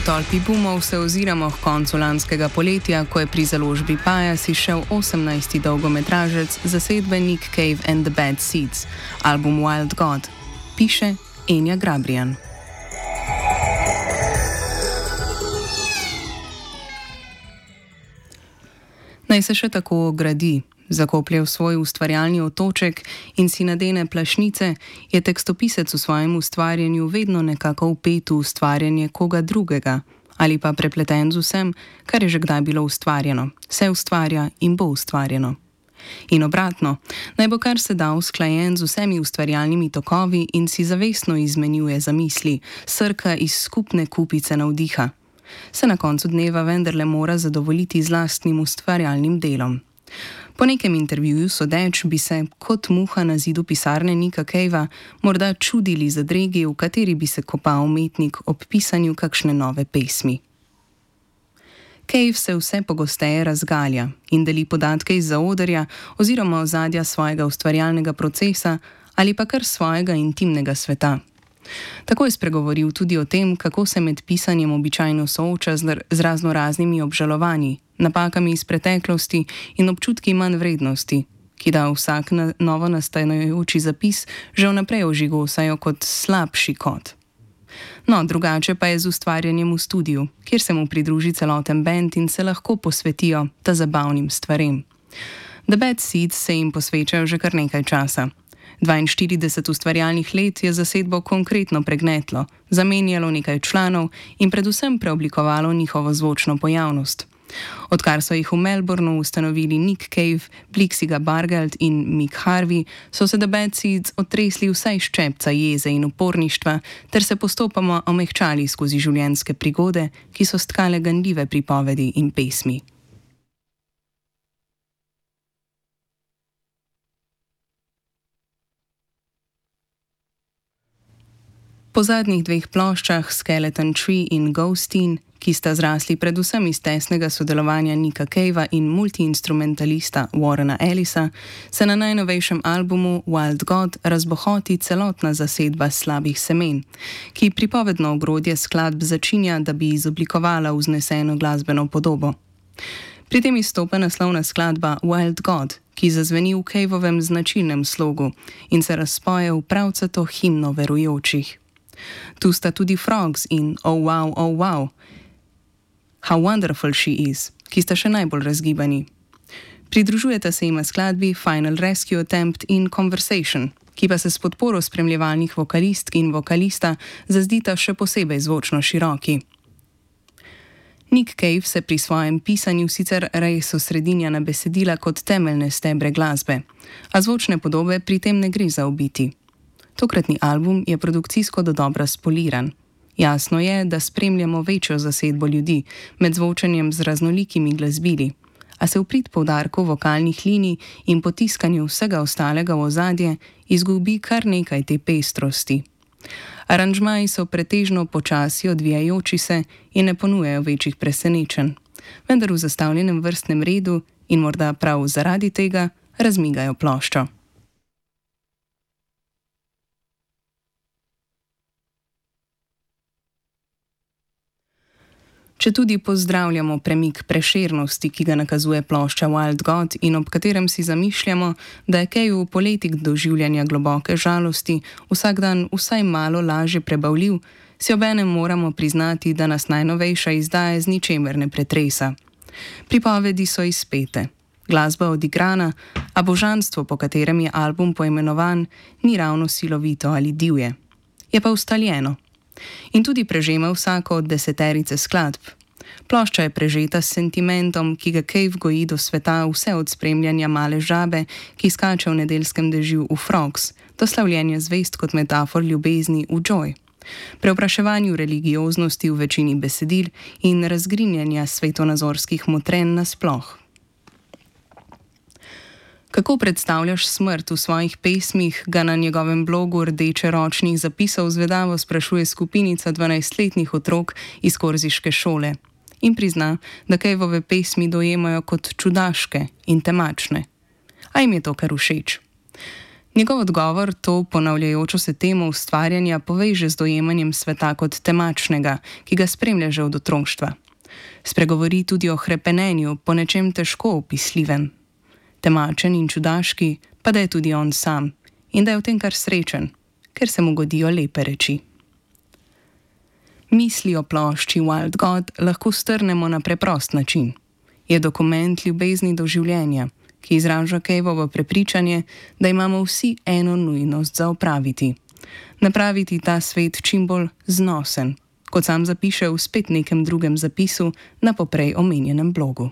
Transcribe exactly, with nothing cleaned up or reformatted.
tolpi boomov se oziramo k koncu lanskega poletja, ko je pri založbi Pajas izšel osemnajsti dolgometražec zasedbe Nick Cave and the Bad Seeds, album Wild God, piše Enja Grabrijan. Naj se še tako ogradi, zakoplje v svoj ustvarjalni otoček in si nadene plašnice, je tekstopisec v svojem ustvarjanju vedno nekako vpet v ustvarjanje koga drugega ali pa prepleten z vsem, kar je že kdaj bilo ustvarjeno, se ustvarja in bo ustvarjeno. In obratno, naj bo kar se da usklajen z vsemi ustvarjalnimi tokovi in si zavestno izmenjuje zamisli, srka iz skupne kupice navdiha. Se na koncu dneva vendarle mora zadovoljiti z lastnim ustvarjalnim delom. Po nekem intervjuju sodeč bi se, kot muha na zidu pisarne Nicka Cavea, morda čudili zadregi, v kateri bi se kopal umetnik ob pisanju kakšne nove pesmi. Cave se vse pogosteje razgalja in deli podatke iz zaodrja oziroma ozadja svojega ustvarjalnega procesa ali pa kar svojega intimnega sveta. Tako je spregovoril tudi o tem, kako se med pisanjem običajno sooča z razno raznimi obžalovanji, napakami iz preteklosti in občutki manj vrednosti, ki da vsak na novo nastajajoči zapis že vnaprej ožigosajo kot slabši kot. No, drugače pa je z ustvarjanjem v studiu, kjer se mu pridruži celoten bend in se lahko posvetijo ta zabavnim stvarem. The Bad Seeds se jim posvečajo že kar nekaj časa. dvainštirideset ustvarjalnih let je zasedbo konkretno pregnetlo, zamenjalo nekaj članov in predvsem preoblikovalo njihovo zvočno pojavnost. Odkar so jih v Melbourneu ustanovili Nick Cave, Blixiga Bargeld in Mick Harvey, so se The Bad Seeds otresli vsaj ščepca jeze in uporništva ter se postopoma omehčali skozi življenjske prigode, ki so stkale ganljive pripovedi in pesmi. Po zadnjih dveh ploščah Skeleton Tree in Ghosteen, ki sta zrasli predvsem iz tesnega sodelovanja Nicka Cavea in multiinstrumentalista Warrena Ellisa, se na najnovejšem albumu Wild God razbohoti celotna zasedba slabih semen, ki pripovedno ogrodje skladb začinja, da bi izoblikovala vzneseno glasbeno podobo. Pri tem izstopa naslovna skladba Wild God, ki zazveni v Caveovem značilnem slogu in se razpoje v pravcato himno verujočih. Tu sta tudi Frogs in Oh Wow, Oh Wow, How Wonderful She Is, ki sta še najbolj razgibani. Pridružujeta se jima skladbi Final Rescue Attempt in Conversation, ki pa se s podporo spremljevalnih vokalistk in vokalista zazdita še posebej zvočno široki. Nick Cave se pri svojem pisanju sicer res osredinja na besedila kot temeljne stebre glasbe, a zvočne podobe pri tem ne gre zaobiti. Tokratni album je produkcijsko dodobra spoliran. Jasno je, da spremljamo večjo zasedbo ljudi med zvočanjem z raznolikimi glasbili, a se v prid poudarku vokalnih linij in potiskanju vsega ostalega v ozadje izgubi kar nekaj te pestrosti. Aranžmaji so pretežno počasi odvijajoči se in ne ponujajo večjih presenečenj, vendar v zastavljenem vrstnem redu in morda prav zaradi tega razmigajo ploščo. Če tudi pozdravljamo premik prešernosti, ki ga nakazuje plošča Wild God in ob katerem si zamišljamo, da je Cave v poletih doživljanja globoke žalosti vsak dan vsaj malo lažje prebavljiv, si obenem moramo priznati, da nas najnovejša izdaja z ničemer ne pretresa. Pripovedi so izpete, glasba odigrana, a božanstvo, po katerem je album poimenovan, ni ravno silovito ali divje. Je pa ustaljeno. In tudi prežema vsako od deseterice skladb. Plošča je prežeta s sentimentom, ki ga Cave goji do sveta vse od spremljanja male žabe, ki skače v nedeljskem dežju v Frogs, do slavljenja zvezd kot metafor ljubezni v Joy, preopraševanju religioznosti v večini besedil in razgrinjanja svetonazorskih motrenj nasploh. Kako predstavljaš smrt v svojih pesmih, ga na njegovem blogu Rdeče ročnih zapisov zvedavo sprašuje skupinica dvanajstletnih otrok iz korziške šole in prizna, da Caveove pesmi dojemajo kot čudaške in temačne. A jim je to kar všeč. Njegov odgovor to ponavljajočo se temo ustvarjanja poveže z dojemanjem sveta kot temačnega, ki ga spremlja že od otroštva. Spregovori tudi o hrepenenju po nečem težko opisljivem. Temačen in čudaški, pa da je tudi on sam in da je v tem kar srečen, ker se mu godijo lepe reči. Misli o plošči Wild God lahko strnemo na preprost način. Je dokument ljubezni do življenja, ki izraža Caveovo prepričanje, da imamo vsi eno nujnost za opraviti. Napraviti ta svet čim bolj znosen, kot sam zapiše v spet nekem drugem zapisu na poprej omenjenem blogu.